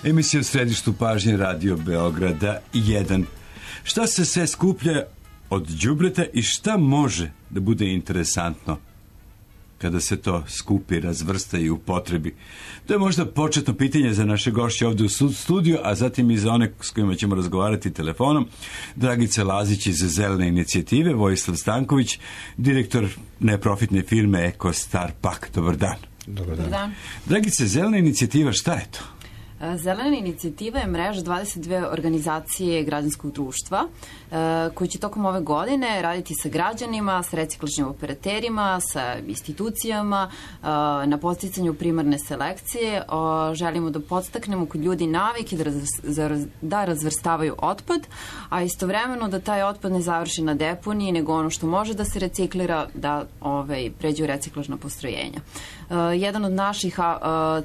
Emisija u središtu pažnje Radio Beograda 1. Šta se sve skuplja od đubreta i šta može da bude interesantno kada se to skupi, razvrsta i upotrebi? To je možda početno pitanje za naše gošće ovdje u studiju, a zatim i za one s kojima ćemo razgovarati telefonom. Dragica Lazić iz Zelene inicijative, Vojislav Stanković, direktor neprofitne firme Eko Star Pak. Dobar dan. Dobar dan. Dragice, Zelena inicijativa, šta je to? Zelena inicijativa je mreža 22 organizacije građanskog društva koji će tokom ove godine raditi sa građanima, sa reciklažnim operaterima, sa institucijama na podsticanju primarne selekcije. Želimo da podstaknemo kod ljudi navike da razvrstavaju otpad, a istovremeno da taj otpad ne završi na deponiji, nego ono što može da se reciklira da pređe u reciklažna postrojenja. Jedan od naših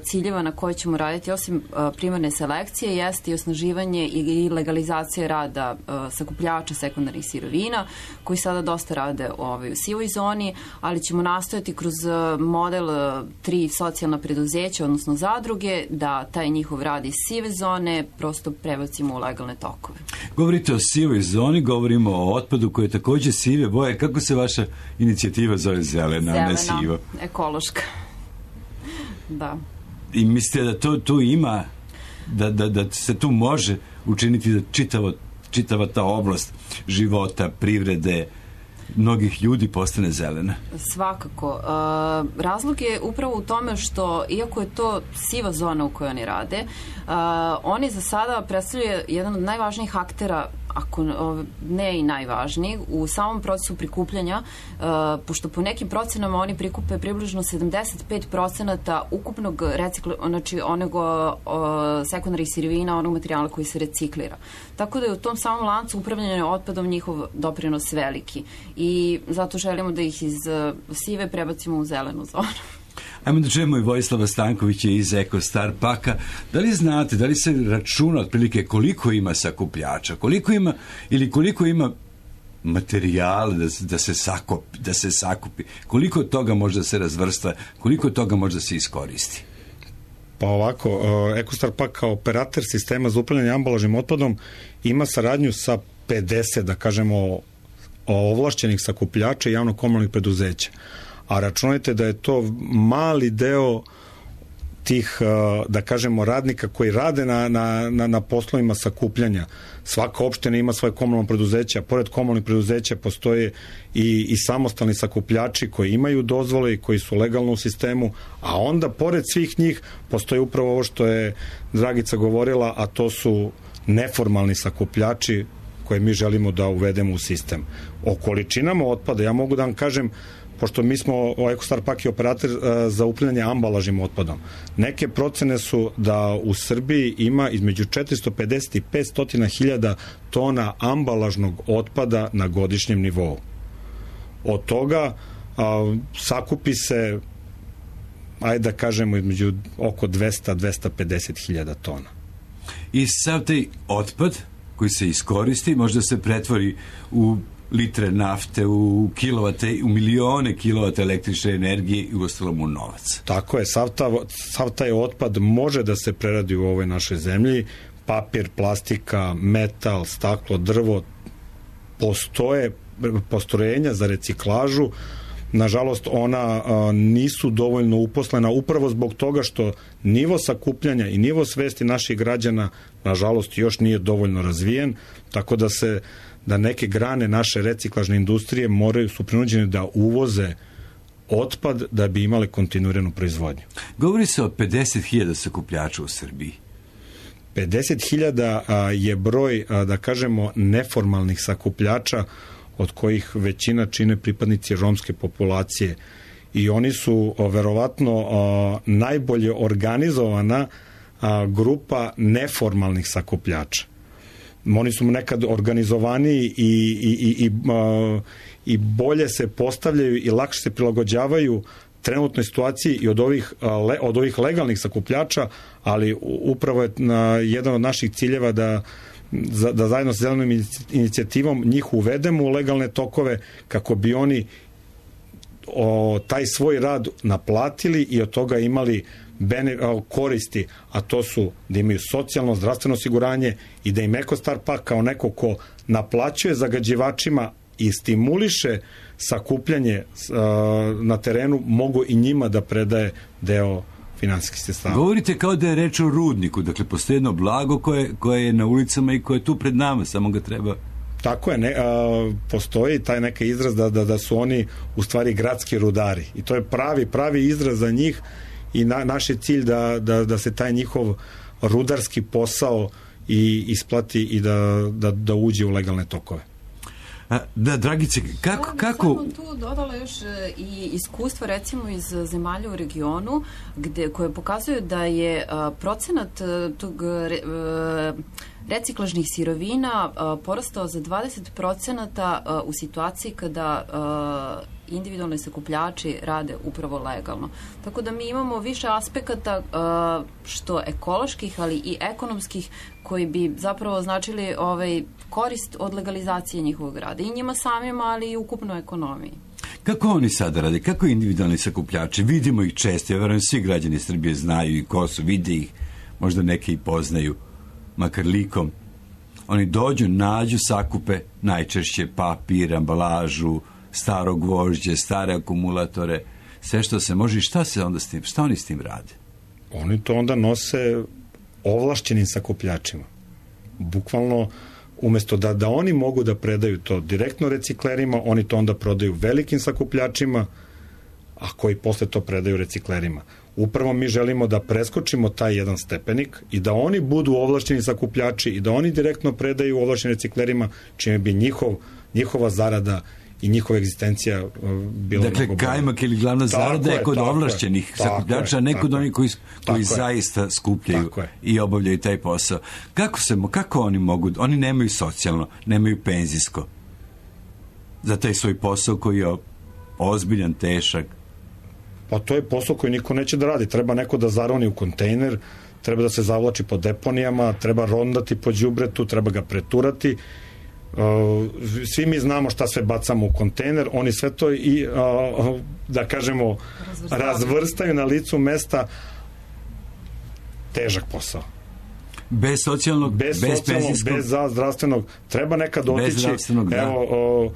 ciljeva na koje ćemo raditi, osim primarne selekcije, jeste i osnaživanje i legalizacija rada sakupljača sekundarnih sirovina, koji sada dosta rade u sivoj zoni, ali ćemo nastojati kroz model 3 socijalna preduzeća, odnosno zadruge, da taj njihov rad iz sive zone prosto prebacimo u legalne tokove. Govorite o sivoj zoni, govorimo o otpadu koji je također sive boje. Kako se vaša inicijativa zove? Zelena, ne sivo? Ekološka. Da. I mislite da tu ima, da se tu može učiniti da čitava ta oblast života, privrede, mnogih ljudi postane zelena? Svakako. Razlog je upravo u tome što, iako je to siva zona u kojoj oni rade, oni za sada predstavljaju jedan od najvažnijih aktera, ako ne i najvažniji, u samom procesu prikupljanja, pošto po nekim procenama oni prikupe približno 75% ukupnog onog sekundarnih sirovina, onog materijala koji se reciklira. Tako da je u tom samom lancu upravljanja otpadom njihov doprinos veliki. I zato želimo da ih iz sive prebacimo u zelenu zonu. Ajmo da čujemo i Vojislava Stankovića iz Eko Star Paka. Da li znate, da li se računa otprilike koliko ima sakupljača, koliko ima materijala da se sakupi, koliko toga može da se razvrsta, koliko toga može da se iskoristi? Pa ovako, Eko Star Pak kao operator sistema za upravljanje ambalažnim otpadom ima saradnju sa 50, da kažemo, ovlašćenih sakupljača i javno-komunalnih preduzeća. A računajte da je to mali deo tih, da kažemo, radnika koji rade na poslovima sakupljanja. Svaka opština ima svoje komunalno preduzeće, a pored komunalnih preduzeća postoje i samostalni sakupljači koji imaju dozvole i koji su legalno u sistemu, a onda pored svih njih postoji upravo ovo što je Dragica govorila, a to su neformalni sakupljači koje mi želimo da uvedemo u sistem. O količinama otpada ja mogu da vam kažem, pošto mi smo Eko Star Pak i operator za upravljanje ambalažnim otpadom. Neke procene su da u Srbiji ima između 450 i 500 hiljada tona ambalažnog otpada na godišnjem nivou. Od toga sakupi se, ajde da kažemo, između oko 200-250 hiljada tona. I sav taj otpad koji se iskoristi možda se pretvori u litre nafte, u kilovate, u milione kilovata električne energije i uostalom u novac. Tako je, sav taj otpad može da se preradi u ovoj našoj zemlji. Papir, plastika, metal, staklo, drvo, postoje postrojenja za reciklažu. Nažalost, ona nisu dovoljno uposlena upravo zbog toga što nivo sakupljanja i nivo svesti naših građana, nažalost, još nije dovoljno razvijen, tako da neke grane naše reciklažne industrije su prinuđene da uvoze otpad da bi imali kontinuiranu proizvodnju. Govori se o 50.000 sakupljača u Srbiji. 50.000 je broj, da kažemo, neformalnih sakupljača, od kojih većina čine pripadnici romske populacije. I oni su verovatno najbolje organizovana grupa neformalnih sakupljača. Oni su nekad organizovaniji i bolje se postavljaju i lakše se prilagođavaju trenutnoj situaciji i od ovih legalnih sakupljača, ali upravo je jedan od naših ciljeva da zajedno sa Zelenom inicijativom njih uvedemo u legalne tokove kako bi oni taj svoj rad naplatili i od toga imali koristi, a to su da imaju socijalno, zdravstveno osiguranje i da im Ekostar Pak kao neko ko naplaćuje zagađivačima i stimuliše sakupljanje na terenu, mogu i njima da predaje deo finansijskih sredstava. Govorite kao da je reč o rudniku, dakle postoji jedno blago koje je na ulicama i koje je tu pred nama, samo ga treba... Tako je, postoji taj neka izraz da su oni u stvari gradski rudari i to je pravi izraz za njih i naš je cilj da se taj njihov rudarski posao i isplati i da uđe u legalne tokove. Da, Dragice, kako... Samo tu dodala još i iskustva recimo iz zemalja u regionu koje pokazuju da je procenat tog reciklažnih sirovina porastao za 20% u situaciji kada individualni sakupljači rade upravo legalno. Tako da mi imamo više aspekata što ekoloških, ali i ekonomskih koji bi zapravo značili korist od legalizacije njihovog rada. I njima samima, ali i ukupno ekonomiji. Kako oni sada rade? Kako individualni sakupljači? Vidimo ih često. Ja verujem svi građani Srbije znaju i ko su, vide ih. Možda neke i poznaju, makar likom. Oni dođu, nađu, sakupe najčešće papir, ambalažu, staro gvožđe, stare akumulatore, sve što se može. I šta se onda s tim? Šta oni s tim rade? Oni to onda nose ovlašćenim sakupljačima. Bukvalno, umesto da oni mogu da predaju to direktno reciklerima, oni to onda prodaju velikim sakupljačima, a koji posle to predaju reciklerima. Upravo mi želimo da preskočimo taj jedan stepenik i da oni budu ovlašćeni sakupljači i da oni direktno predaju ovlašćenim reciklerima, čime bi njihova zarada i njihova egzistencija bila... Dakle, kajmak ili glavna zarada je kod ovlašćenih sakupljača, a ne kod onih koji zaista skupljaju i obavljaju taj posao. Kako oni mogu... Oni nemaju socijalno, nemaju penzijsko za taj svoj posao koji je ozbiljan, težak. Pa to je posao koji niko neće da radi. Treba neko da zaroni u kontejner, treba da se zavlači po deponijama, treba rondati po đubretu, treba ga preturati. Svi mi znamo šta sve bacamo u kontejner, oni sve to i da kažemo razvrstaju na licu mesta. Težak posao. Bez socijalnog, bez penzijskog, bez zdravstvenog. Treba nekad otići. Evo,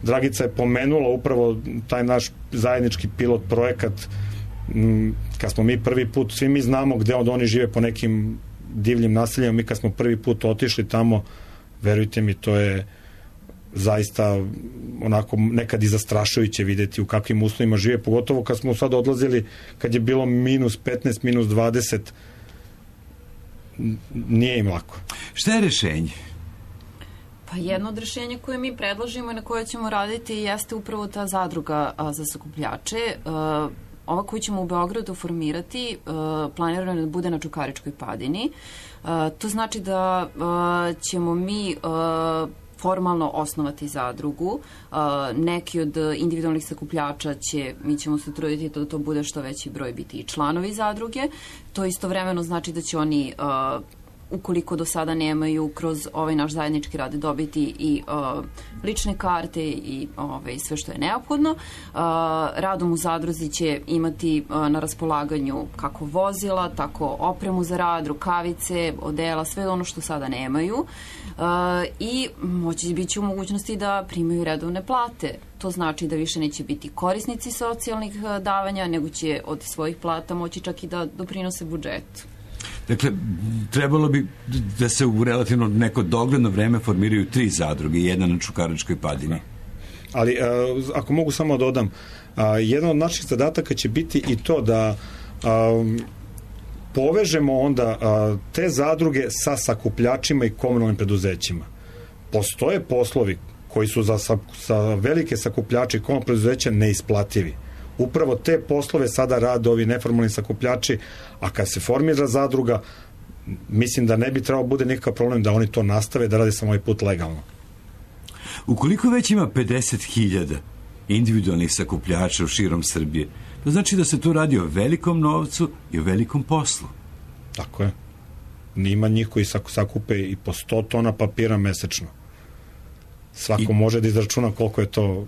Dragica je pomenula upravo taj naš zajednički pilot projekat kad smo mi prvi put, svi mi znamo gde oni žive po nekim divljim naseljima, mi kad smo prvi put otišli tamo, verujte mi, to je zaista onako nekad i zastrašujuće videti u kakvim uslovima žive, pogotovo kad smo sad odlazili, kad je bilo -15, -20, nije im lako. Šta je rešenje? Pa jedno od rešenja koje mi predložimo i na koje ćemo raditi jeste upravo ta zadruga za sakupljače. Ova koju ćemo u Beogradu formirati planirano da bude na Čukaričkoj padini. To znači da ćemo mi formalno osnovati zadrugu. Neki od individualnih sakupljača mi ćemo se truditi da to bude što veći broj biti i članovi zadruge. To istovremeno znači da će oni ukoliko do sada nemaju kroz ovaj naš zajednički rad dobiti i lične karte i sve što je neophodno. Radom u zadruzi će imati na raspolaganju kako vozila, tako opremu za rad, rukavice, odela, sve ono što sada nemaju i moći biti u mogućnosti da primaju redovne plate. To znači da više neće biti korisnici socijalnih davanja, nego će od svojih plata moći čak i da doprinose budžetu. Dakle, trebalo bi da se u relativno neko dogledno vreme formiraju 3 zadruge, jedna na Čukaričkoj padini. Ali, ako mogu samo dodam, jedan od naših zadataka će biti i to da povežemo onda te zadruge sa sakupljačima i komunalnim preduzećima. Postoje poslovi koji su za velike sakupljače i komunalne preduzeća neisplativi. Upravo te poslove sada rade ovi neformalni sakupljači, a kad se formira zadruga, mislim da ne bi trebao bude nikakav problem da oni to nastave, da rade samo ovaj put legalno. Ukoliko već ima 50.000 individualnih sakupljača u širom Srbije, to znači da se tu radi o velikom novcu i o velikom poslu. Tako je. Nima njih koji sakupe i po 100 tona papira mesečno. Svako može da izračuna koliko je to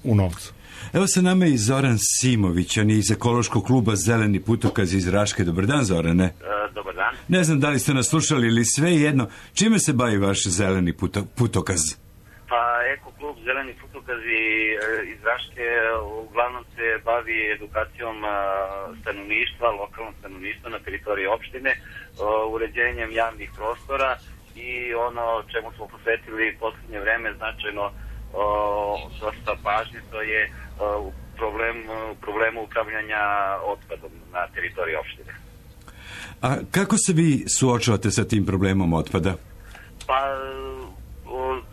u novcu. Evo sa nama i Zoran Simović, on je iz ekološkog kluba Zeleni putokaz iz Raške. Dobar dan, Zorane. Dobar dan. Ne znam da li ste nas slušali ili sve jedno. Čime se bavi vaš Zeleni putokaz? Pa Eko-klub Zeleni putokazi iz Raške uglavnom se bavi edukacijom stanovništva, lokalnog stanovništva na teritoriji opštine, uređenjem javnih prostora i ono čemu smo posvetili posljednje vreme značajno dosta pažnje, to je problemu upravljanja otpadom na teritoriji opštine. A kako se vi suočavate sa tim problemom otpada? Pa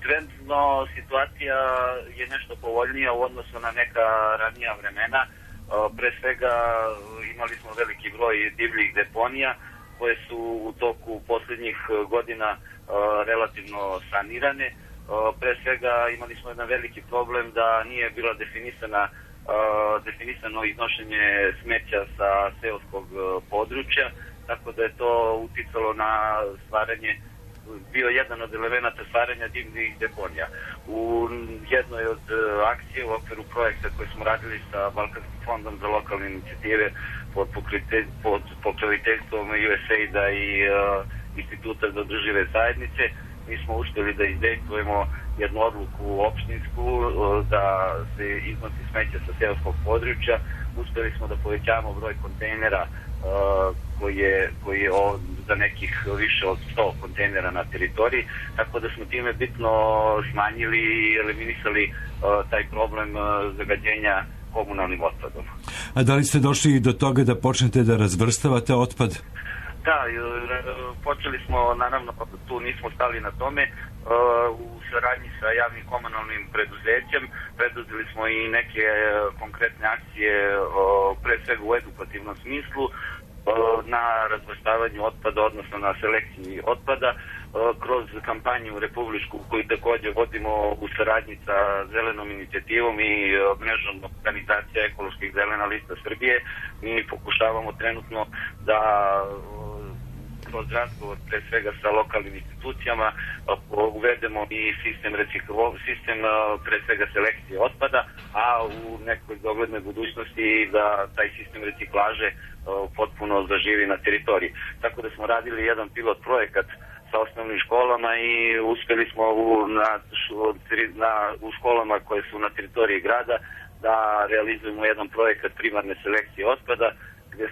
trenutno situacija je nešto povoljnija u odnosu na neka ranija vremena. Pre svega imali smo veliki broj divljih deponija koje su u toku posljednjih godina relativno sanirane. Pre svega imali smo jedan veliki problem da nije bila definisano iznošenje smeća sa seoskog područja, tako da je to uticalo na bio jedan od elemenata stvaranja divljih deponija. U jednoj od akcije u okviru projekta koji smo radili sa Balkanskim fondom za lokalne inicijative pod pokroviteljstvom USAID-a i Instituta za održive zajednice, mi smo uspjeli da izdejstvujemo jednu odluku opštinsku da se iznosi smeća sa seoskog područja. Uspjeli smo da povećamo broj kontejnera koji je za nekih više od 100 kontejnera na teritoriji, tako da smo time bitno smanjili i eliminisali taj problem zagađenja komunalnim otpadom. A da li ste došli do toga da počnete da razvrstavate otpad? Da, počeli smo, naravno, tu nismo stali na tome, u saradnji sa javnim komunalnim preduzećem preduzeli smo i neke konkretne akcije, pre svega u edukativnom smislu, na razvrstavanju otpada, odnosno na selekciji otpada, kroz kampanju republičku koju također vodimo u saradnji sa Zelenom inicijativom i mrežom organizacija ekoloških Zelena lista Srbije. Mi pokušavamo trenutno da kroz razgovor pre svega sa lokalnim institucijama uvedemo i sistem pre svega selekcije otpada, a u nekoj doglednoj budućnosti da taj sistem reciklaže potpuno zaživi na teritoriji. Tako da smo radili jedan pilot projekat sa osnovnim školama i uspjeli smo u školama koje su na teritoriji grada da realizujemo jedan projekat primarne selekcije otpada, gdje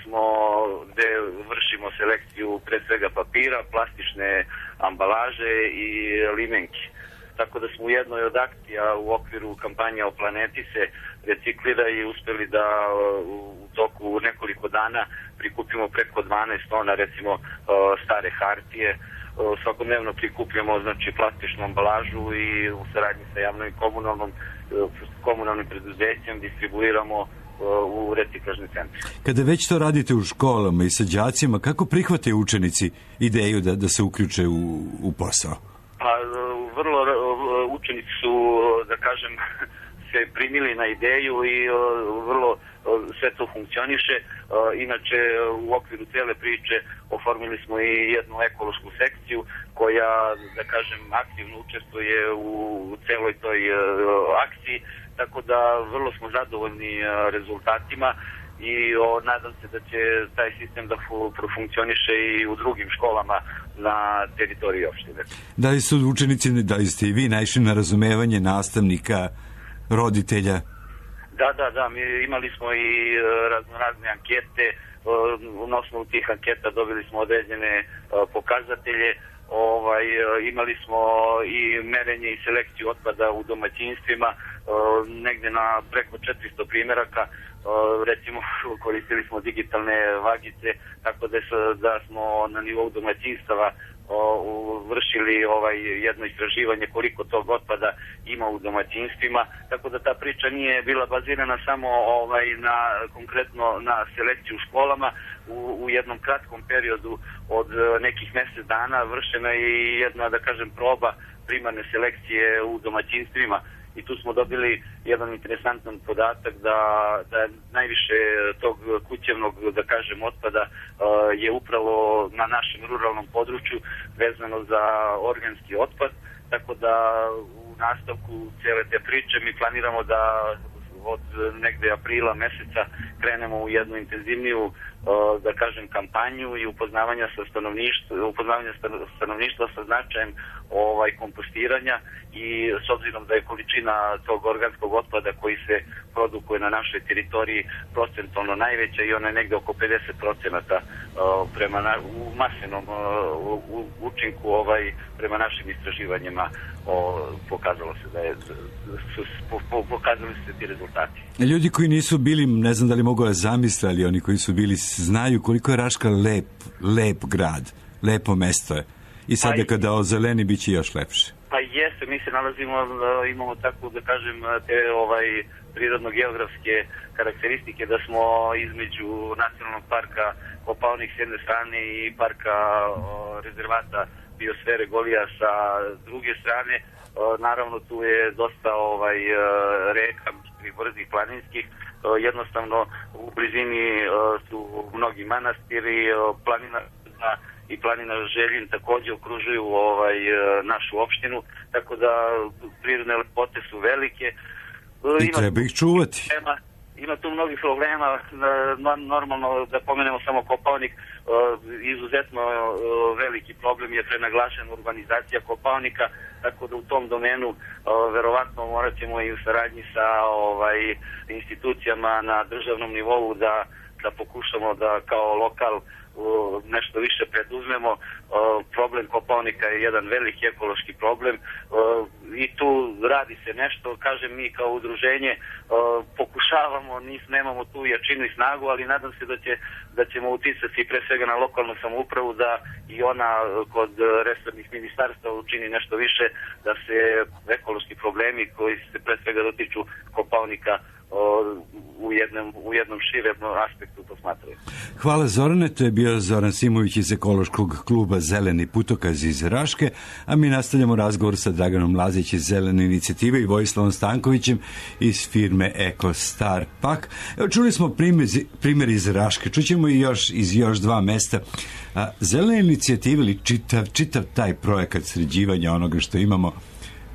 vršimo selekciju pre svega papira, plastične ambalaže i limenki. Tako da smo u jednoj od akcija u okviru kampanja O planeti se reciklira i uspjeli da u toku nekoliko dana prikupimo preko 12 tona recimo stare hartije. Svakodnevno prikupljamo znači plastičnu ambalažu i u saradnji sa javnom i komunalnim preduzećem distribuiramo u reciklažni centri. Kada već to radite u školama i sa đacima, kako prihvate učenici ideju da se uključe u posao? Pa vrlo učenici su, da kažem, se primili na ideju i vrlo sve to funkcioniše. Inače, u okviru cijele priče oformili smo i jednu ekološku sekciju koja, da kažem, aktivno učestvuje u celoj toj akciji, tako da vrlo smo zadovoljni rezultatima i nadam se da će taj sistem da profunkcioniše i u drugim školama na teritoriji opštine. Da li su učenici, da li ste i vi naišli na razumevanje nastavnika, roditelja? Da, mi imali smo i razne ankete, na osnovu tih anketa dobili smo određene pokazatelje, imali smo i merenje i selekciju otpada u domaćinstvima, negde na preko 400 primjeraka, recimo koristili smo digitalne vagice, tako da smo na nivou domaćinstava vršili jedno istraživanje koliko tog otpada ima u domaćinstvima, tako da ta priča nije bila bazirana samo konkretno na selekciju u školama. U jednom kratkom periodu od nekih mjesec dana vršena je i jedna, da kažem, proba primarne selekcije u domaćinstvima i tu smo dobili jedan interesantan podatak da najviše tog kućevnog, da kažem, otpada je upravo na našem ruralnom području vezano za organski otpad, tako da u nastavku cele te priče mi planiramo da od negde aprila meseca krenemo u jednu intenzivniju, da kažem, kampanju i upoznavanja stanovništva sa značajem kompostiranja, i s obzirom da je količina tog organskog otpada koji se produkuje na našoj teritoriji procentualno najveća i ona je negde oko 50% prema u masenom učinku prema našim istraživanjima pokazalo se da je pokazali se ti rezultati. Ljudi koji nisu bili, ne znam da li mogu da zamisle, ali oni koji su bili znaju koliko je Raška lep grad, lepo mesto je. I sada kada ozeleni bit će još lepše. Pa jeste, mi se nalazimo, imamo tako da kažem te prirodno-geografske karakteristike da smo između Nacionalnog parka Kopaonik s jedne strane i parka rezervata biosfere Golija sa druge strane. Naravno tu je dosta reka brzih planinskih, jednostavno u blizini su mnogi manastiri, planina Željin takođe okružuju našu opštinu, tako da prirodne lepote su velike. I treba ih čuvati. Ima tu mnogih problema, normalno da pomenemo samo Kopaonik, izuzetno veliki problem je prenaglašena urbanizacija Kopaonika, tako da u tom domenu verovatno morat ćemo i u saradnji sa institucijama na državnom nivou da pokušamo da kao lokal nešto više preduzmemo. Problem Kopaonika je jedan veliki ekološki problem i tu radi se nešto, kažem, mi kao udruženje pokušavamo, nemamo tu jačinu i snagu, ali nadam se da ćemo uticati pre svega na lokalnu samoupravu da i ona kod resornih ministarstva učini nešto više da se ekološki problemi koji se pre svega dotiču Kopaonika u jednom širem aspektu posmatraju. Hvala Zorane, to je bio Zoran Simović iz ekološkog kluba Zeleni putokaz iz Raške, a mi nastavljamo razgovor sa Draganom Lazić iz Zelene inicijative i Vojislavom Stankovićem iz firme EcoStar Pak. Evo, čuli smo primjer iz Raške, čućemo i iz još dva mesta. Zelene inicijative ili čitav taj projekat sređivanja onoga što imamo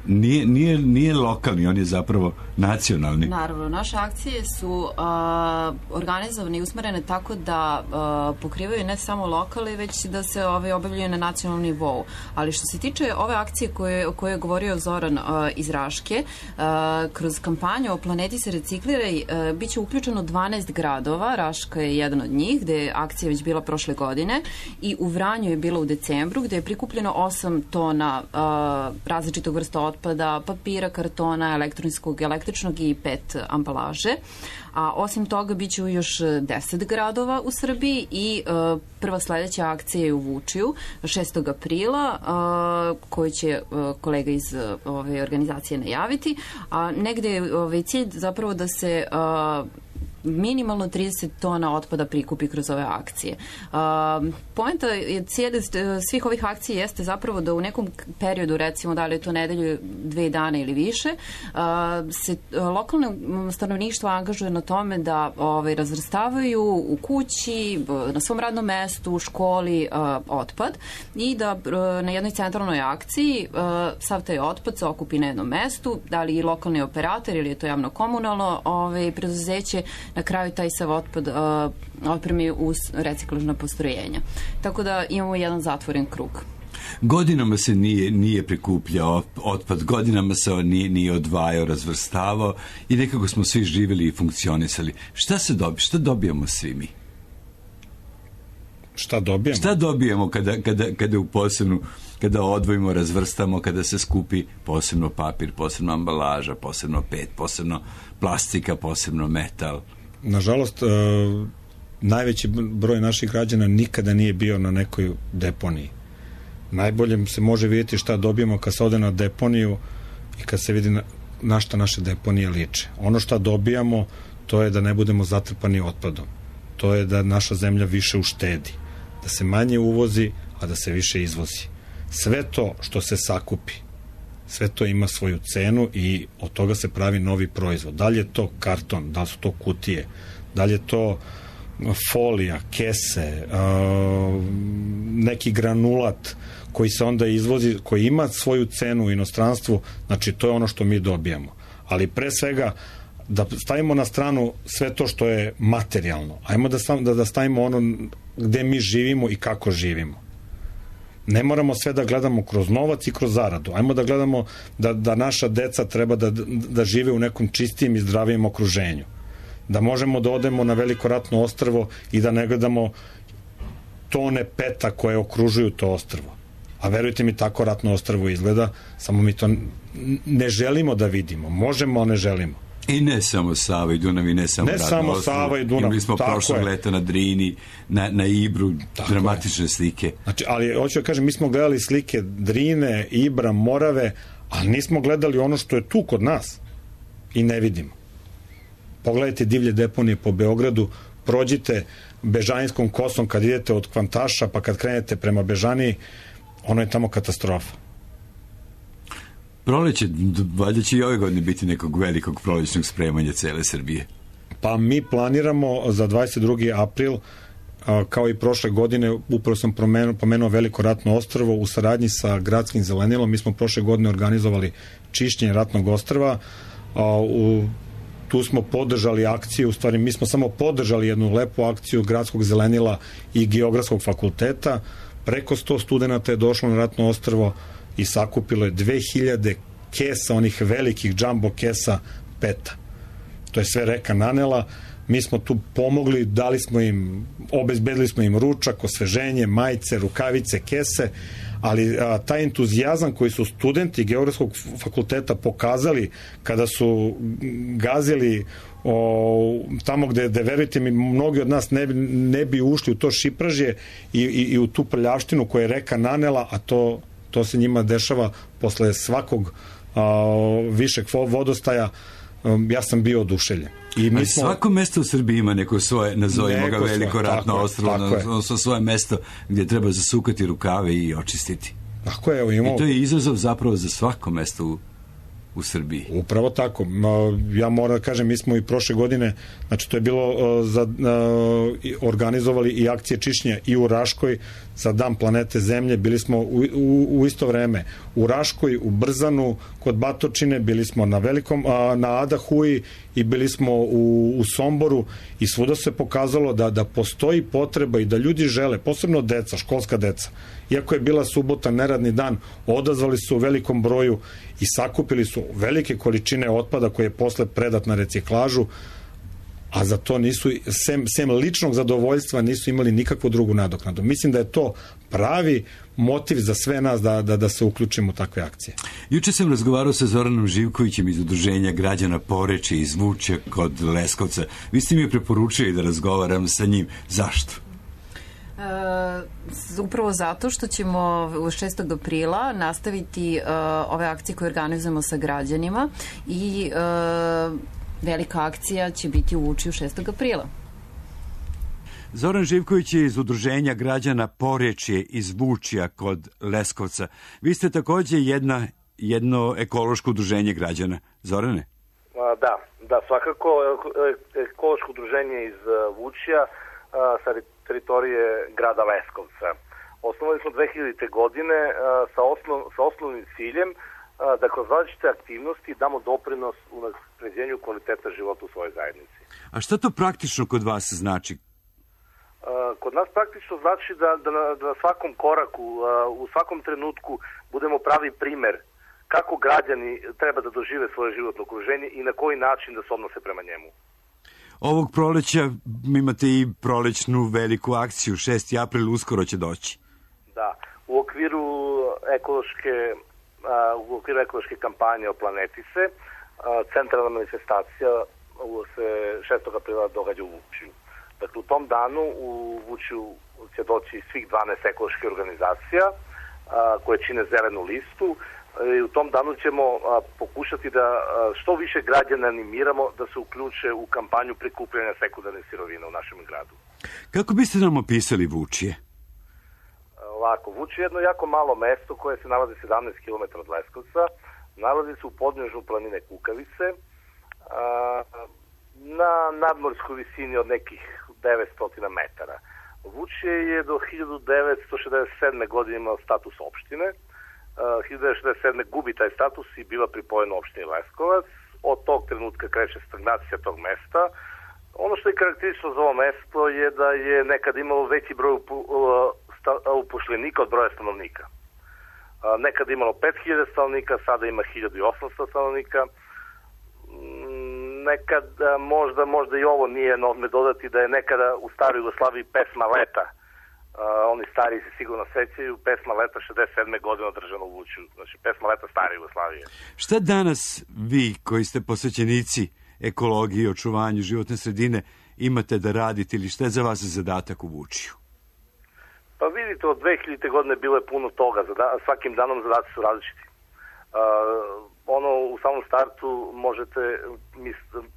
nije lokalni, on je zapravo nacionalni. Naravno, naše akcije su organizovane i usmerene tako da pokrivaju ne samo lokale, već da se obavljaju na nacionalnom nivou. Ali što se tiče ove akcije o kojoj je govorio Zoran iz Raške, kroz kampanju O planeti se recikliraj bit će uključeno 12 gradova, Raška je jedan od njih, gde je akcija već bila prošle godine, i u Vranju je bila u decembru, gde je prikupljeno 8 tona različitog vrsta otpada, papira, kartona, električnog i 5 ambalaže. A osim toga bit će još 10 gradova u Srbiji i prva sledeća akcija je u Vučiju 6. aprila koju će kolega iz ove organizacije najaviti. A negde je cilj zapravo da se minimalno 30 tona otpada prikupi kroz ove akcije. Poenta je svih ovih akcija jeste zapravo da u nekom periodu, recimo da li je to nedelju, 2 dana ili više, se lokalno stanovništvo angažuje na tome da razvrstavaju u kući, na svom radnom mestu, u školi otpad i da na jednoj centralnoj akciji sav taj otpad se okupi na jednom mestu, da li i lokalni operator ili je to javno komunalno preduzeće na kraju taj sav otpad otpremi u reciklažna postrojenja. Tako da imamo jedan zatvoren krug. Godinama se nije prikupljao otpad, godinama se on nije odvajao, razvrstavao i nekako smo svi živjeli i funkcionisali. Šta dobijamo svi mi? Šta dobijemo kada u posebnu, kada odvojimo, razvrstamo, kada se skupi posebno papir, posebno ambalaža, posebno PET, posebno plastika, posebno metal? Nažalost, najveći broj naših građana nikada nije bio na nekoj deponiji. Najbolje se može vidjeti šta dobijemo kad se ode na deponiju i kad se vidi na šta naše deponije liče. Ono šta dobijamo, to je da ne budemo zatrpani otpadom. To je da naša zemlja više uštedi, da se manje uvozi, a da se više izvozi. Sve to što se sakupi, sve to ima svoju cenu i od toga se pravi novi proizvod. Da li je to karton, da li su to kutije, da li je to folija, kese, neki granulat koji se onda izvozi, koji ima svoju cenu u inostranstvu, znači to je ono što mi dobijamo. Ali pre svega da stavimo na stranu sve to što je materijalno. Ajmo da stavimo ono gde mi živimo i kako živimo. Ne moramo sve da gledamo kroz novac i kroz zaradu. Ajmo da gledamo da naša deca treba da žive u nekom čistijem i zdravijem okruženju. Da možemo da odemo na Veliko ratno ostrvo i da ne gledamo tone peta koje okružuju to ostrvo. A verujte mi, tako ratno ostrvo izgleda, samo mi to ne želimo da vidimo. Možemo, a ne želimo. I ne samo Sava i Dunav, i ne samo Sava i Dunav. Imali smo prošlog leta na Drini, na Ibru, tako dramatične slike. Znači, ali hoću da kažem, mi smo gledali slike Drine, Ibra, Morave, ali nismo gledali ono što je tu kod nas i ne vidimo. Pogledajte divlje deponije po Beogradu, prođite Bežanijskom kosom kad idete od Kvantaša, pa kad krenete prema Bežaniji, ono je tamo katastrofa. Proleće, valjda će i ove godine biti nekog velikog prolećnog spremanja cele Srbije. Pa mi planiramo za 22. april, kao i prošle godine, upravo sam pomenuo Veliko ratno ostrvo, u saradnji sa gradskim zelenilom, mi smo prošle godine organizovali čišćenje ratnog ostrva. Tu smo podržali akciju, u stvari mi smo samo podržali jednu lepu akciju gradskog zelenila i Geografskog fakulteta. Preko 100 studenata je došlo na ratno ostrvo i sakupilo je 2000 kesa, onih velikih džambo kesa peta. To je sve reka nanela. Mi smo tu pomogli, obezbedili smo im ručak, osveženje, majice, rukavice, kese, ali taj entuzijazam koji su studenti Geografskog fakulteta pokazali kada su gazili tamo gde verujte mi, mnogi od nas ne bi ušli u to šipražje i u tu prljavštinu koja je reka nanela, a to se njima dešava posle svakog višeg vodostaja. Ja sam bio oduševljen. Ali svako mesto u Srbiji ima neko svoje, nazovimo ga Veliko ratno ostrvo, svoje mesto gdje treba zasukati rukave i očistiti. Tako je, I to je izazov zapravo za svako mesto u Srbiji. Upravo tako. Ja moram da kažem, mi smo i prošle godine, znači to je bilo organizovali i akcije čišćenja i u Raškoj za Dan planete Zemlje, bili smo u isto vreme u Raškoj, u Brzanu, kod Batočine, bili smo na Adahuji i bili smo u Somboru i svuda se pokazalo da postoji potreba i da ljudi žele, posebno deca, školska deca. Iako je bila subota, neradni dan, odazvali su u velikom broju i sakupili su velike količine otpada koje je posle predat na reciklažu, a za to nisu, sem ličnog zadovoljstva, nisu imali nikakvu drugu nadoknadu. Mislim da je to pravi motiv za sve nas da se uključimo u takve akcije. Juče sam razgovarao sa Zoranom Živkovićem iz Udruženja građana Porečje iz Vučja kod Leskovca. Vi ste mi preporučili da razgovaram sa njim. Zašto? Upravo zato što ćemo 6. aprila nastaviti ove akcije koje organizujemo sa građanima i velika akcija će biti u Vučju 6. aprila. Zoran Živković je iz Udruženja građana Porečje iz Vučja kod Leskovca. Vi ste takođe jedno ekološko udruženje građana. Zorane? Da, svakako ekološko udruženje iz Vučja sa teritorije grada Leskovca. Osnovali smo 2000. godine sa osnovnim ciljem da kroz različite aktivnosti damo doprinos u unapređenju kvaliteta života u svojoj zajednici. A šta to praktično kod vas znači? Kod nas praktično znači da na svakom koraku, u svakom trenutku budemo pravi primer kako građani treba da dožive svoje životno okruženje i na koji način da se odnose prema njemu. Ovog proleća imate i prolećnu veliku akciju, 6. april uskoro će doći. Da, u okviru ekološke kampanje o planeti se, centralna manifestacija se 6. aprila događa u Vučju. Dakle, u tom danu u Vučju će doći svih 12 ekoloških organizacija koje čine zelenu listu. I u tom danu ćemo pokušati da što više građana animiramo da se uključe u kampanju prikupljanja sekundarnih sirovina u našem gradu. Kako biste nam opisali Vučje? Ovako, Vučje je jedno jako malo mesto koje se nalazi 17 km od Leskovca. Nalazi se u podnežju planine Kukavice, na nadmorskoj visini od nekih 900 metara. Vučje je do 1967. godine imao status opštine. 1967. gubi taj status i biva pripojena opštini Leskovac. Od tog trenutka kreće stagnacija tog mesta. Ono što je karakteristično za ovo mesto je da je nekad imalo veći broj upošljenika od broja stanovnika. Nekad je imalo 5000 stanovnika, sada ima 1800 stanovnika. Nekad, možda i ovo nije na odme dodati, da je nekada u staroj Jugoslaviji pesma Leta, oni stariji se sigurno sećaju, pesma Leta 67. godine održana u Vučju, znači pesma Leta stare Jugoslavije. Šta danas vi, koji ste posvećenici ekologiji i očuvanju životne sredine, imate da radite ili šta je za vas zadatak u Vučju? Pa vidite, od 2000. godine bilo je puno toga, svakim danom zadaci su različiti. U samom startu možete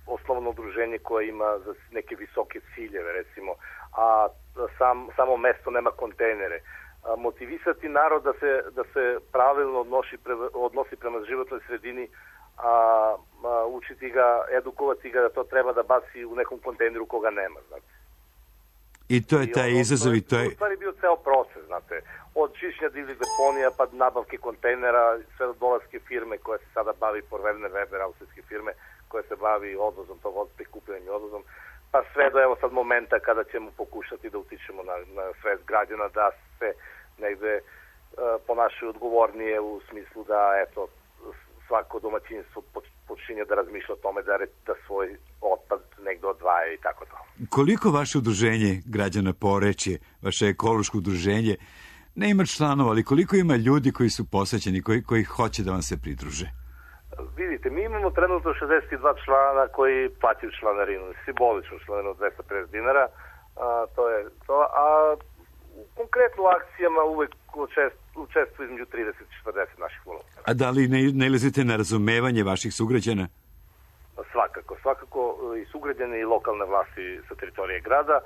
osnovno udruženje koje ima za neke visoke ciljeve, recimo, a samo mesto nema kontejnere. Motivisati narod da se pravilno odnosi prema životnoj sredini, učiti ga, edukovati ga da to treba da baci u nekom kontejneru koga nema, znate. I to je taj izazov i to je... U stvari bio ceo proces, znate. Od čišćenja divljih deponija pa nabavke kontejnera, sve do dolaske firme koja se sada bavi, Porverne Weber, austrijske firme, koja se bavi odvozom tog prikupljanjem i odvozom, pa sve do evo sad momenta kada ćemo pokušati da utičemo na svest građana da se negde ponašaju odgovornije u smislu da eto svako domaćinstvo počinje da razmišlja o tome da svoj otpad negde odvaja i tako to. Koliko vaše udruženje građana Porečje, vaše ekološko udruženje, ne ima članova, ali koliko ima ljudi koji su posvećeni, koji hoće da vam se pridruže? Vidite, mi imamo trenutno 62 člana koji plaćaju članarinu, simboličnu članarinu od 250 dinara, to je to, a konkretno u akcijama uvek učestvuju između 30 i 40 naših volontera. A da li ne nailazite na razumevanje vaših sugrađana? Svakako i sugrađane i lokalne vlasti sa teritorije grada.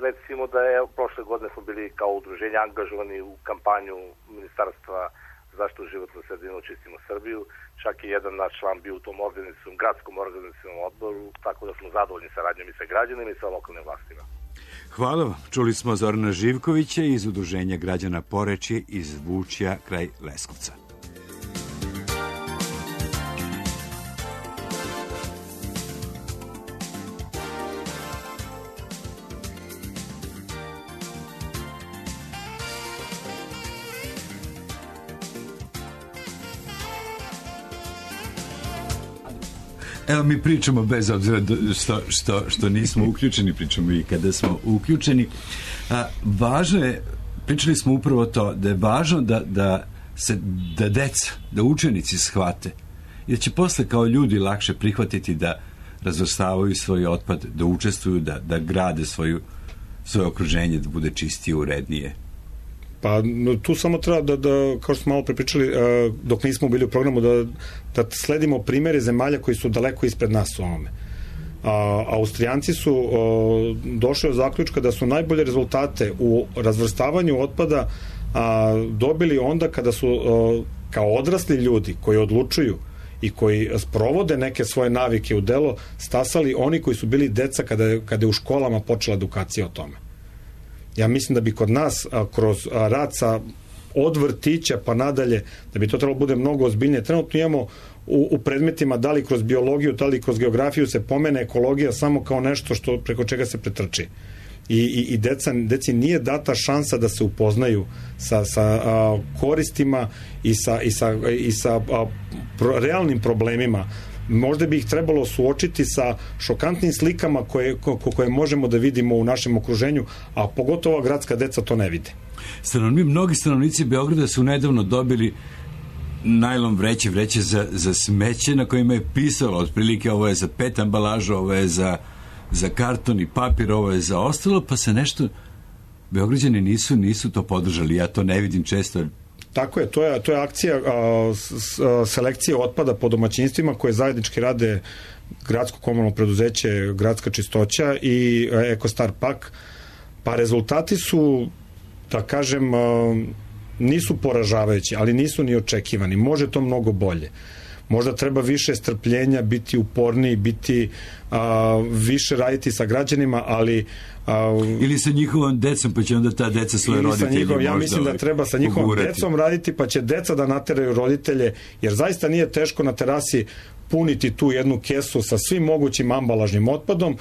Recimo da je prošle godine smo bili kao udruženje angažovani u kampanju Ministarstva zaštitu životne sredine Očistimo Srbiju. Čak i jedan naš član bio u tom gradskom organizacionom odboru, tako da smo zadovoljni saradnjom i sa građanima i sa lokalnim vlastima. Hvala vam. Čuli smo Zorana Živkovića iz Udruženja građana Porečje iz Vučja kraj Leskovca. Evo, mi pričamo bez obzira što nismo uključeni, pričamo i kada smo uključeni. Važno je, pričali smo upravo to, da je važno da deca, da učenici shvate i da će posle kao ljudi lakše prihvatiti da razvrstavaju svoj otpad, da učestvuju, da grade svoje okruženje, da bude čistije, urednije. Pa tu samo treba da kao što smo malo prepričali, dok nismo bili u programu, da sledimo primere zemalja koji su daleko ispred nas u ovome. Austrijanci su došli od zaključka da su najbolje rezultate u razvrstavanju otpada dobili onda kada su kao odrasli ljudi koji odlučuju i koji sprovode neke svoje navike u delo stasali oni koji su bili deca kada je u školama počela edukacija o tome. Ja mislim da bi kod nas kroz rad sa od vrtića pa nadalje, da bi to trebalo bude mnogo ozbiljnije. Trenutno imamo u predmetima, da li kroz biologiju, da li kroz geografiju se pomene ekologija samo kao nešto preko čega se pretrči. I deci nije data šansa da se upoznaju sa koristima i sa realnim problemima. Možda bi ih trebalo suočiti sa šokantnim slikama koje možemo da vidimo u našem okruženju, a pogotovo gradska deca to ne vide. Mnogi stanovnici Beograda su nedavno dobili najlon vreće za smeće na kojima je pisalo otprilike ovo je za PET ambalažu, ovo je za karton i papir, ovo je za ostalo, pa se nešto Beograđani nisu to podržali. Ja to ne vidim često. Tako je, to je akcija selekcije otpada po domaćinstvima koje zajednički rade gradsko komunalno preduzeće Gradska čistoća i Ekostar Pak. Pa rezultati su, da kažem, nisu poražavajući, ali nisu ni očekivani. Može to mnogo bolje. možda treba više strpljenja, biti uporniji, biti više raditi sa građanima, ali ili sa njihovom decom, pa će onda ta deca svoje roditelji možda... Ja mislim da treba sa njihovom decom raditi, pa će deca da nateraju roditelje, jer zaista nije teško na terasi puniti tu jednu kesu sa svim mogućim ambalažnim otpadom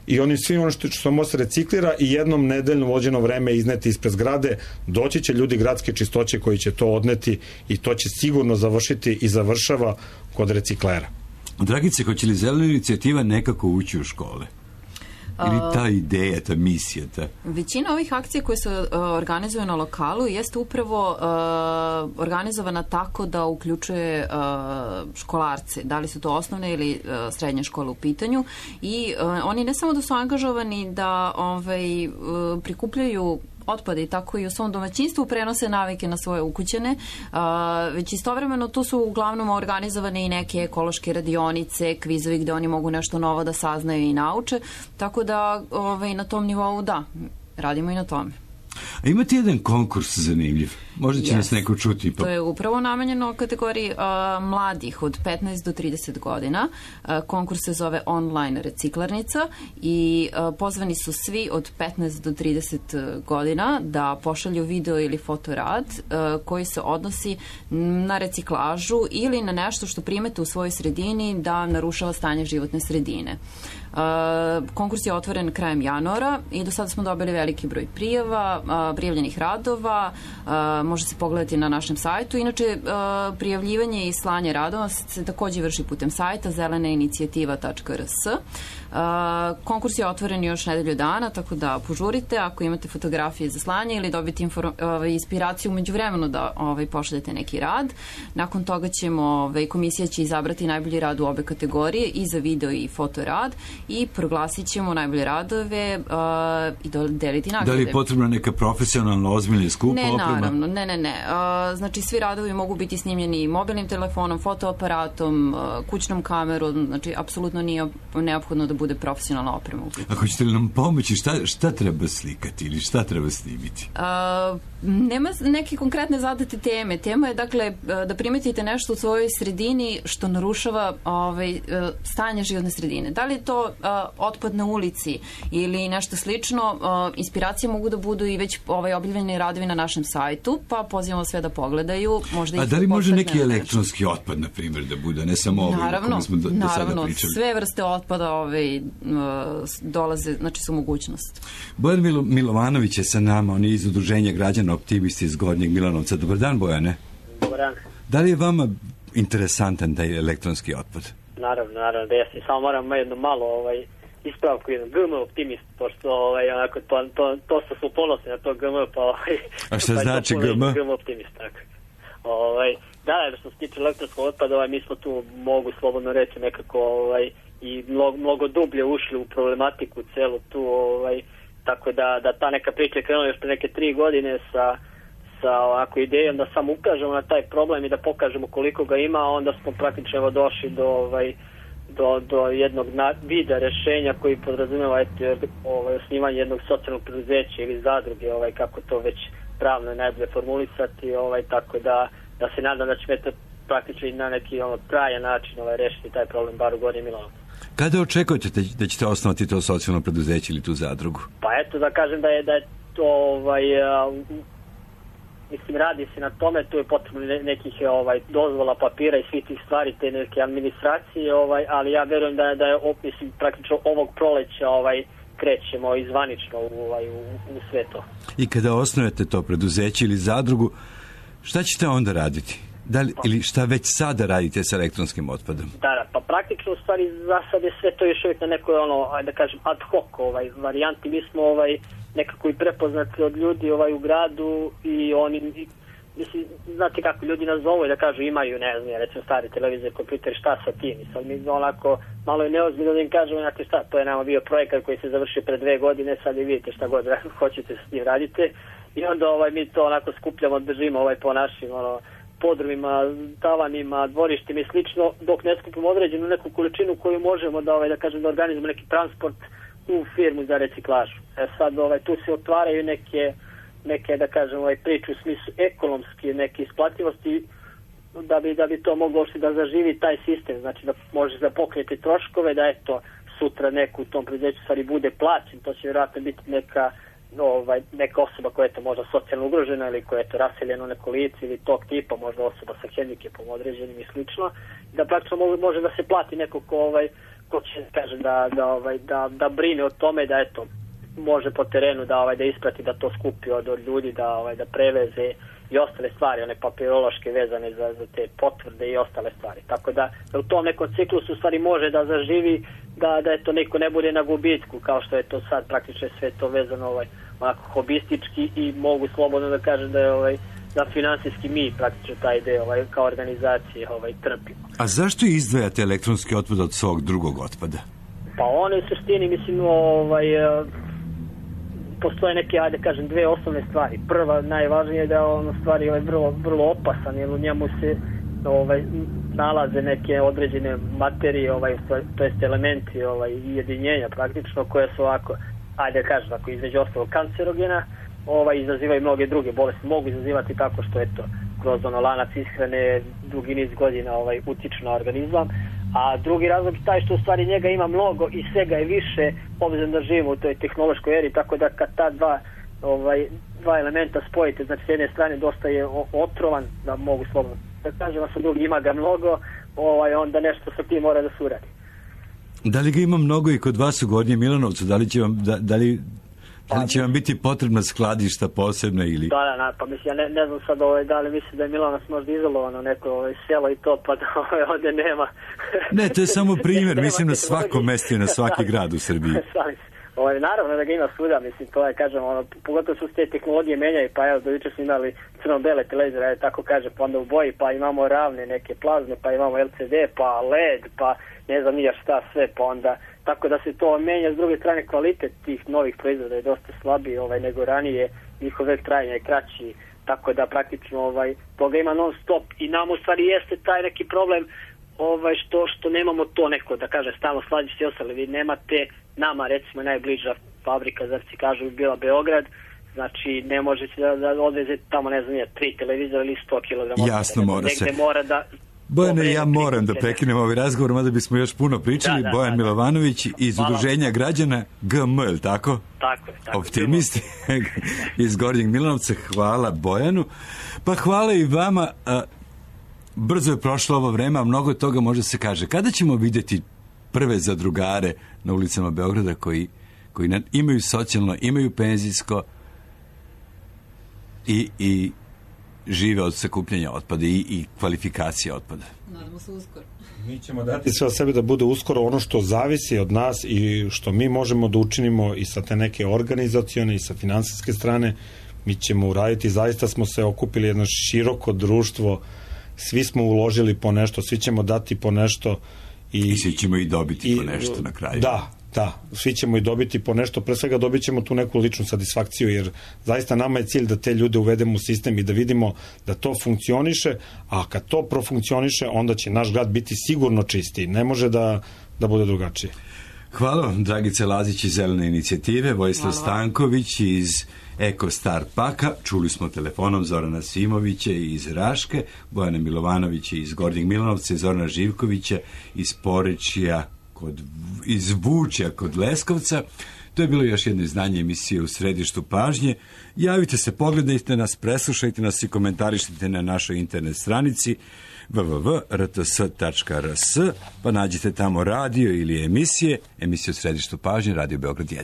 i onim svim ono što može se reciklira i jednom nedeljno vođeno vreme izneti ispred zgrade. Doći će ljudi gradske čistoće koji će to odneti i to će sigurno završiti i završava kod reciklera. Dragice, hoće li zelena inicijativa nekako ući u škole? Ili ta ideja, ta misija? Većina ovih akcija koje se organizuju na lokalu jeste upravo organizovana tako da uključuje školarce, da li su to osnovne ili srednje škole u pitanju, i oni ne samo da su angažovani da prikupljaju otpade i tako i u svom domaćinstvu prenose navike na svoje ukućane, već istovremeno tu su uglavnom organizovane i neke ekološke radionice, kvizovi gde oni mogu nešto novo da saznaju i nauče, tako da na tom nivou da, radimo i na tome. A imate jedan konkurs zanimljiv. Možda će nas neko čuti. To je upravo namenjeno kategoriji mladih od 15 do 30 godina. Konkurs se zove Online reciklarnica i pozvani su svi od 15 do 30 godina da pošalju video ili fotorad koji se odnosi na reciklažu ili na nešto što primete u svojoj sredini da narušava stanje životne sredine. Konkurs je otvoren krajem januara i do sada smo dobili veliki broj prijava, prijavljenih radova, može se pogledati na našem sajtu. Inače, prijavljivanje i slanje radova se takođe vrši putem sajta zelenainicijativa.rs. Konkurs je otvoren još nedelju dana, tako da požurite ako imate fotografije za slanje ili dobiti inspiraciju umeđu vremenu da pošaljete neki rad. Nakon toga komisija će izabrati najbolji rad u obe kategorije, i za video i fotorad, i proglasit ćemo najbolje radove i deliti nagrade. Da li je potrebna neka profesionalno ozbiljna skupa oprema? Naravno, ne. Znači, svi radovi mogu biti snimljeni mobilnim telefonom, fotoaparatom, kućnom kamerom, znači, apsolutno nije neophodno da bude profesionalna oprema. A hoćete li nam pomoći šta treba slikati ili šta treba snimiti? Nema neke konkretne zadate teme. Tema je, dakle, da primetite nešto u svojoj sredini što narušava stanje životne sredine. Da li je to otpad na ulici ili nešto slično, inspiracije mogu da budu i već objavljeni radovi na našem sajtu, pa pozivamo sve da pogledaju. A da li može neki elektronski otpad, na primjer, da bude, ne samo o kome smo do sada pričali? Sve vrste otpada dolaze, znači su mogućnost. Bojan Milovanović je sa nama, on je iz Udruženja građana Optimisti iz Gornjeg Milanovca. Dobar dan, Bojane. Dobar dan. Da li je vama interesantan taj elektronski otpad? Naravno, da ja samo moram jedno malo ispravku, jedan GM optimist, pošto onako to smo ponosni na to GM, pa a šta znači GM? GM optimist, tako. Da, što se tiče elektronskog otpada, mi smo tu, mogu slobodno reći, nekako i mnogo dublje ušli u problematiku celu tu, tako da ta neka priča je krenula još pre neke 3 godine sa ovako idejom da samo ukažemo na taj problem i da pokažemo koliko ga ima, onda smo praktično došli do jednog vida rešenja koji podrazumeva osnivanje jednog socijalnog preduzeća ili zadruge, kako to već pravno je najbolje formulisati, tako da se nadam da će praktično i na neki trajan način rešiti taj problem bar u Gornjem Milanovcu. Kada očekujete da ćete osnovati to socijalno preduzeće ili tu zadrugu? Pa eto, da kažem da je to mislim, radi se na tome, tu je potrebno nekih dozvola, papira i svih tih stvari, te neke administracije, ali ja verujem da je mislim, praktično ovog proleća krećemo izvanično u sve to. I kada osnujete to preduzeće ili zadrugu, šta ćete onda raditi? Ili šta već sada radite sa elektronskim otpadom? Da, pa praktično u stvari za sad je sve to još uvijek na nekoj da kažem ad hoc varijanti. Mi smo nekako i prepoznati od ljudi u gradu i oni, mislim, znate kako ljudi nas zovu da kažu imaju, ne znam, recimo stari televizor, kompjuter, šta sa tim? I sad mi onako malo je neozbiljno da im kažemo, znate šta, to je nama bio projekat koji se završio pre 2 godine, sad i vidite šta god hoćete s tim radite. I onda mi to onako skupljamo, držimo po našim podrumima, tavanima, dvorištima i slično, dok ne skupimo određenu neku količinu koju možemo da kažem da organizujemo neki transport u firmu za reciklažu. Sad tu se otvaraju neke da kažem priče u smislu ekonomske neke isplativosti da bi to moglo da zaživi taj sistem, znači da može da pokriti troškove, da eto sutra neko u tom preduzeću stvari bude plaćen, to će vjerojatno biti neka osoba koja je to možda socijalno ugrožena ili koja je to raseljena u neko lice ili tog tipa, možda osoba sa hendikepom određenim i slično, da praktično može da se plati neko ko će kaže da brine o tome, da eto može po terenu da isprati, da to skupi od ljudi, da preveze i ostale stvari, one papirološke vezane za te potvrde i ostale stvari. Tako da u tom nekom ciklusu stvari može da zaživi, da eto neko ne bude na gubitku, kao što je to sad praktično sve to vezano onako hobistički, i mogu slobodno da kažem da je da finansijski mi praktično taj deo kao organizacije trpimo. A zašto izdvajate elektronski otpad od svog drugog otpada? Pa one u suštini, mislim, postoje neke, ajde kažem, dve osnovne stvari. Prva, najvažnije je da on stvari vrlo opasan, jer u njemu se nalaze neke određene materije, to jest elementi i jedinjenja praktično, koje su ovako, ajde kažem, ako između ostalo kancerogena, izazivaju mnoge druge bolesti. Mogu izazivati tako što eto kroz lanac ishrane dugi niz godina utiču na organizam. A drugi razlog je taj što u stvari njega ima mnogo i svega je više, obzirom da živimo u toj tehnološkoj eri, tako da kad ta dva elementa spojite, znači s jedne strane dosta je otrovan, da mogu slobodno da kažem, a sa drugi ima ga mnogo, onda nešto sa tim mora da se uradi. Da li ga ima mnogo i kod vas u Gornjem Milanovcu? Da li će vam biti potrebna skladišta posebna ili... Da, pa mislim, ja ne znam sad da li mislim da je Milanovac možda izolovano neko selo i to, pa da ovdje nema... Ne, to je samo primjer, mislim na svako mesto i na svaki grad u Srbiji. Naravno da ga ima svuda, mislim, to je, kažem, pogotovo su te tehnologije menjaju, pa evo, do jučer smo imali crno-bele televizore, tako kaže, pa onda u boji, pa imamo ravne neke plazme, pa imamo LCD, pa LED, pa ne znam nija šta sve, pa onda, tako da se to menja. S druge strane, kvalitet tih novih proizvoda je dosta slabiji nego ranije, njihov vek trajanja je kraći, tako da praktično toga ima non stop, i nam u stvari jeste taj neki problem što nemamo to neko, da kaže, stalno skladište i ostale. Vi nemate, nama recimo najbliža fabrika za reciklažu bi bila Beograd, znači ne možete da odvezete tamo, ne znam, 3 televizora ili 100 kg. Jasno, mora se. Mora da... Bojane, ja moram da prekinem ovaj razgovor, mada bismo još puno pričali. Bojan Milovanović iz Udruženja građana GM, ili tako? Tako je. Optimisti iz Gornjeg Milanovca. Hvala Bojanu. Pa hvala i vama. Brzo je prošlo ovo vreme, a mnogo toga može se kaže. Kada ćemo vidjeti prve zadrugare na ulicama Beograda koji imaju socijalno, imaju penzijsko i žive od sakupljanja otpada i kvalifikacije otpada? Nadamo se uskoro. Mi ćemo dati sve od sebe da bude uskoro ono što zavisi od nas i što mi možemo da učinimo i sa te neke organizacione i sa finansijske strane. Mi ćemo uraditi, zaista smo se okupili jedno široko društvo, svi smo uložili po nešto, svi ćemo dati po nešto i svi ćemo i dobiti po nešto na kraju. Da, svi ćemo i dobiti po nešto, pre svega dobit ćemo tu neku ličnu satisfakciju, jer zaista nama je cilj da te ljude uvedemo u sistem i da vidimo da to funkcioniše, a kad to profunkcioniše, onda će naš grad biti sigurno čistiji. Ne može da bude drugačije. Hvala vam, Dragica Lazić iz Zelene inicijative, Vojislav Stanković iz Eko Star Paka, čuli smo telefonom Zorana Simovića iz Raške, Bojana Milovanovića iz Gornjeg Milanovca i Zorana Živkovića iz Porečja, iz Vučja kod Leskovca. To je bilo još jedno izdanje emisije U središtu pažnje. Javite se, pogledajte nas, preslušajte nas i komentarišite na našoj internet stranici www.rts.rs, pa nađite tamo radio ili emisije U središtu pažnje, Radio Beograd 1.